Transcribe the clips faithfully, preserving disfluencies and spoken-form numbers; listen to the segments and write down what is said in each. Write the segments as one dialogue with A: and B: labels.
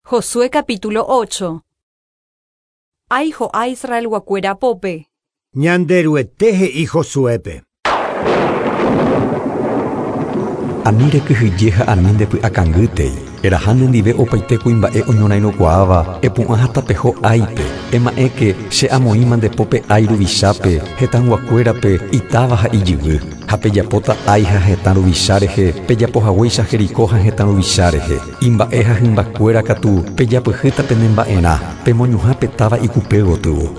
A: Josué capítulo ocho. Ai ho'a Israelguakuéra pópe.
B: Ñanderuete he'i Josuépe.
C: Ani rekyhyje ha ani ndepy'akangýtei. Eraha nendive opaite kuimba'e oñorairõkuaáva epu'ã ha tapeho Áipe. Ema'ẽke che amoĩma nde pópe Ai ruvichápe, hetãyguakuérape, itáva ha ijyvy. Ha pejapóta Ai ha hetã ruvicha rehe, pejapohaguéicha Jericó ha hetã ruvicha rehe. Imba'e ha hymbakuéra katu pejapyhýta penemba'erã, pemoñuhã pe táva ikupe gotyo.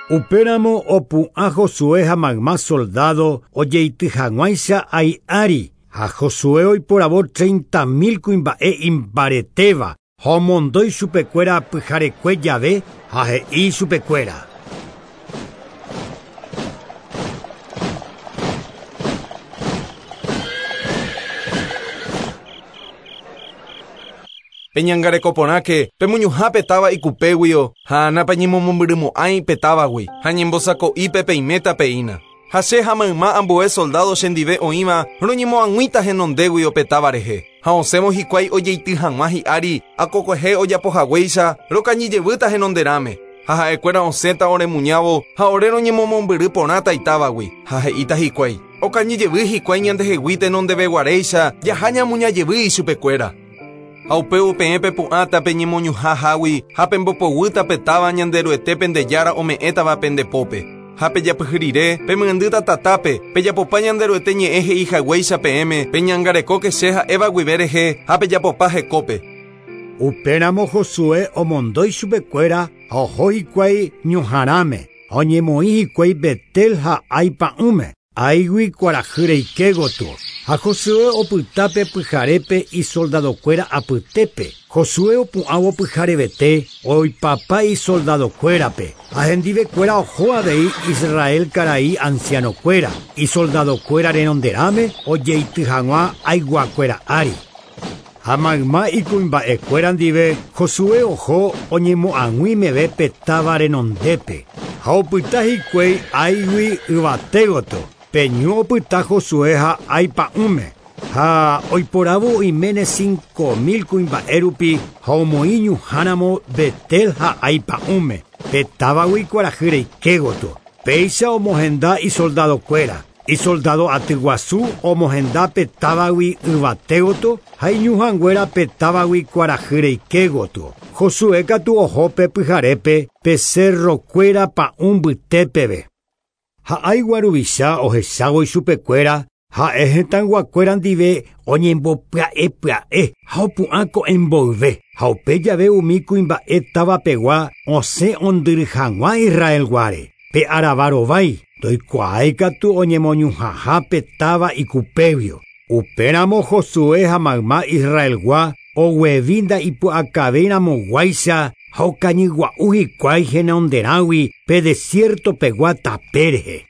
B: Upéramo opu'ã Josué ha mayma soldado ojeity hag̃uáicha Ai ári, ha Josué oiporavo treinta mil kuimba'e imbaretéva, ha omondói chupekuéra pyharekue jave ha he'i chupekuéra.
D: Peñangarekoporãke pemoñuhã táva ikupéguio ha napeñemomombyrymo'ãi pe távagui ha ñembosako'ípe peiméta peína. Ha che ha mayma ambue soldado chendive oĩva roñemoag̃uíta henondéguio pe táva rehe. Ha osẽvo hikuái ojeity hag̃ua hi'ári akokuehe ojapohaguéicha rokañyjevýta henonderãme. Ha ha'ekuéra osẽta oremuñávo ha ore roñemomombyry porãta itávagui. Ha he'íta hikuái okañyjevy hikuái ñandehegui tenondeveguaréicha jaha ñamuñajevy ichupekuéra. Ha upévo peẽ pepu'ãta peñemoñuhãhágui ha pembopoguýta pe táva Ñanderuete pendejára ome'ẽtava pendepópe. Ha pejapyhyrire pemyendýta tatápe pejapopa Ñanderuete ñe'ẽ he'ihaguéicha peẽme peñangarekóke che ha'éva guive rehe ha pejapopa hekópe.
B: Upéramo Josué omondói chupekuéra ha oho hikuái ñuhãrãme ha oñemoĩ hikuái Betel ha Ai pa'ũme. Áigui kuarahy reike gotyo. Ha Josué opytápe pyharépe isoldadokuéra apytépe. Josué opu'ãvo pyharevete oipapa isoldadokuérape. Ha hendivekuéra oho avei Israel karai ancianokuéra. Isoldadokuéra renonderãme ojeity hag̃ua aiguakuéra ári. Ha mayma ikuimba'ekuéra ndive Josué oho oñemo'ag̃ui meve pe táva renondépe. Ha opyta hikuái Áigui yvate gotyo. Peñu opyta Josué ha Ai pa'ũme. Ha oiporavo oiméne cinco mil kuimba'e rupi ha omoĩ ñuhãramo Betel ha Ai pa'ũme. Pe távagui kuarahy reike gotyo. Péicha omohenda isoldadokuéra. Isoldado aty guasu omohenda pe távagui yvate gotyo ha iñuhãnguéra pe távagui kuarahy reike gotyo. Josué katu oho pe pyharépe pe cerrokuéra pa'ũ mbytépeve. Ha Aigua ruvicha ohechávo ichupekuéra ha'e hetãyguakuéra ndive oñembopya'epya'e ha opu'ã ko'ẽmboyve. Ha upe jave umi kuimba'e távapegua osẽ ondyry hag̃ua Israelguáre. Pe aravarovái ndoikuaái katu oñemoñuhãha pe táva ikupéguio. Upéramo Josué ha mayma Israelgua oguevi nda'ipu'akavéiramoguáicha ha okañygua'u hikuái henonderãgui pe desiertopegua tape rehe.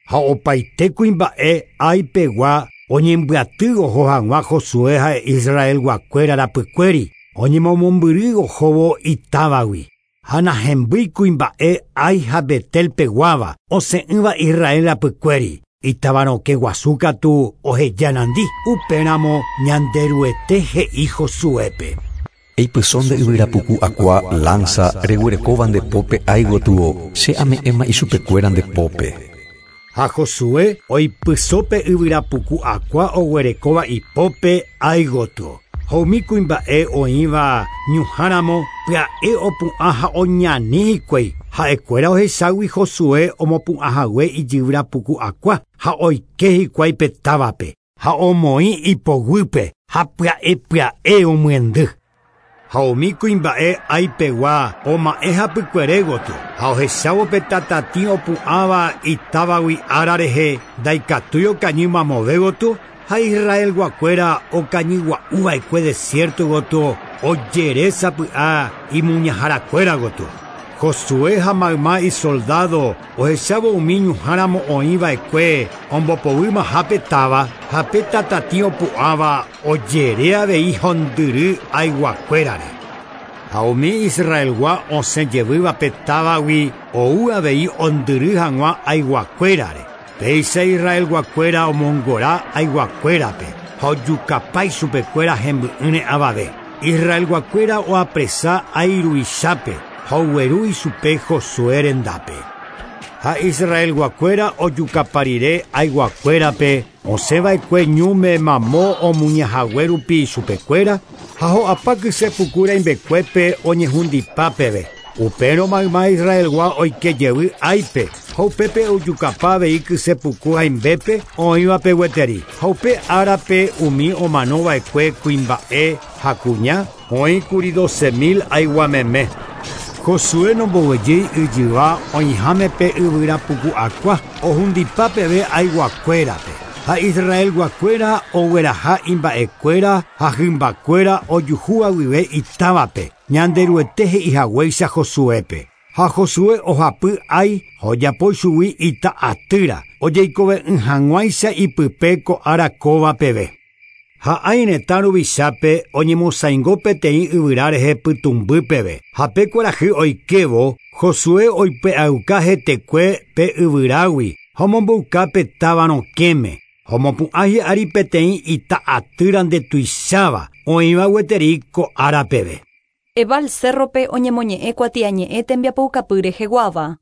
B: Ha opaite kuimba'e Aipegua oñembyaty oho hag̃ua Josué ha Israelguakuéra rapykuéri oñemomombyry ohóvo itávagui. Ha nahembýi kuimba'e Ai ha Betelpeguáva osẽ'ỹva Israel rapykuéri. Itavarõke guasu katu ohejanandi. Upéramo Ñanderuete he'i Josuépe.
C: Eipysõ nde yvyrapuku akua lanza reguerekóva nde pópe Ai gotyo, che ame'ẽma ichupekuéra nde pópe.
B: Ha Josué oipysõ pe yvyrapuku akua oguerekóva ipópe Ai gotyo. Ha umi kuimba'e oĩva ñuhãramo pya'e opu'ã ha oñani hikuái. Ha'ekuéra ohechágui Josué omopu'ãhague ijyvyrapuku akua ha oike hikuái pe távape. Ha omoĩ ipoguýpe ha pya'epya'e omyendy. Ha umi kuimba'e Aipegua oma'ẽ hapykuere gotyo. Ha ohechávo pe tatatĩ opu'ãva itávagui ára rehe ndaikatúi okañy mamove gotyo ha Israelguakuéra okañygua'uva'ekue desierto gotyo ojere sapy'a imuñaharakuéra gotyo. Josué ha mayma isoldado ohechávo umi ñuhãramo oĩva'ekue ombopoguýmaha pe táva ha pe tatatĩ opu'ãva ojere avei hondyry aiguakuérare. Ha umi Israelgua osẽjevýva pe távagui ou avei ondyry hag̃ua aiguakuérare. Péicha Israelguakuéra omongora aiguakuérape ha ojukapa ichupekuéra hemby'ỹre avave. Israelguakuéra oapresa Ai ruvichápe ha ogueru ichupe Josué rendápe. Ha Israelguakuéra ojukaparire Aiguakuérape osẽva'ekue ñúme mamo omuñahague ichupekuéra ha ho'apa kysepuku rãimbekuépe oñehundipápeve. Upérõ mayma Israelgua oikejevy Áipe ha upépe ojukapa avei kysepuku haimbépe oĩvape gueteri. Ha upe árape umi omanova'ekue kuimba'e ha kuña oĩkuri doce mil aiguameme. Josué nomboguejýi yjyva oĩhámepe yvyrapuku'akua ohundipápeve aiguakuérape. Ha Israelguakuéra ogueraha imba'ekuéra ha hymbakuéra ojuhúva guive itávape Ñanderuete he'ihaguéicha Josuépe. Ha Josué ohapy Ai ha ojapo chugui ita'atýra ojeikove'ỹ hag̃uáicha ipype ko ára kóva peve. Ha Ai retã ruvichápe oñemosãingo peteĩ yvyra rehe pytũmby peve. Ha pe kuarahy oikévo Josué oipe'auka hetekue pe yvyrágui ha omomboyka pe táva rokẽme. Ha omopu'ã hi'ári peteĩ ita'atýra ndetuicháva oĩva gueteri ko ára peve.
A: Ebal cerrope oñemoñe'ẽ kuatiañe'ẽ tembiapoukapy reheguáva.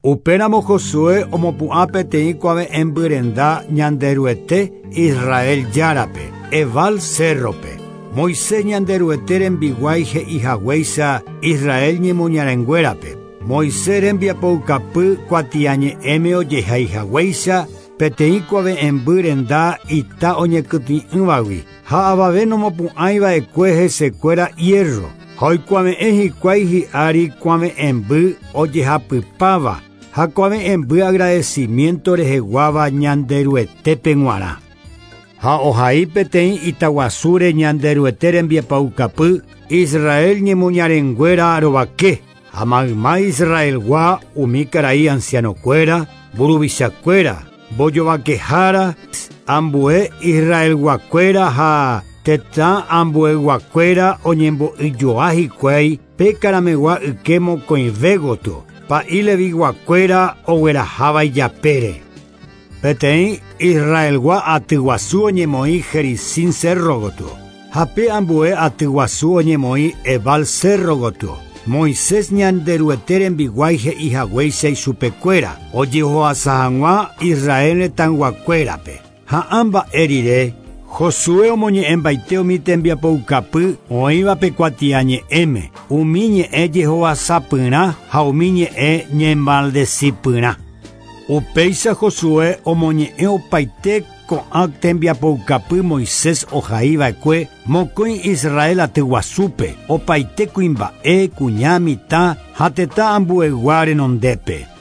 B: Upéramo Josué omopu'ã peteĩ kuave'ẽmbyrenda Ñanderuete Israel járape, Ebal cerrope. Moisés Ñanderuete rembiguái he'ihaguéicha Israel ñemoñarenguérape. Moisés rembiapoukapy kuatiañe'ẽme ojehaihaguéicha peteĩ kuave'ẽmbyrenda ita oñekytĩ'ỹvagui ha avave nomopu'ãiva'ekue hesekuéra hierro. Ha oikuave'ẽ hikuái hi'ári kuave'ẽmby ojehapypáva ha kuave'ẽmby agradecimiento reheguáva Ñanderuetépe g̃uarã. Ha ohai peteĩ itaguasúre Ñanderuete rembiapoukapy Israel ñemoñarenguéra rovake ha mayma Israelgua umi karai ancianokuéra, mburuvichakuéra, mbojovakehára, ambue Israelguakuéra ha tetã ambueguakuéra oñembo'yjoa hikuái pe karamegua yke mokõive gotyo, pa'i leviguakuéra ogueraháva ijapére. Peteĩ Israelgua atyguasu oñemoĩ Gerizim cerro gotyo, ha pe ambue atyguasu oñemoĩ Ebal cerro gotyo. Moisés Ñanderuete rembiguái he'ihaguéicha ichupekuéra ojehoasa hag̃ua Israel retãyguakuérape. Ha ã mba'e rire Josué omoñe'ẽmbaite umi tembiapoukapy oĩvape kuatiañe'ẽme, umi ñe'ẽ jehovasapyrã ha umi ñe'ẽ ñemaldecipyrã. Upéicha Josué omoñe'ẽ opaite ko'ã tembiapoukapy Moisés ohaiva'ekue mokõi Israel atyguasúpe opaite kuimba'e kuña mitã ha tetã ambuegua renondépe.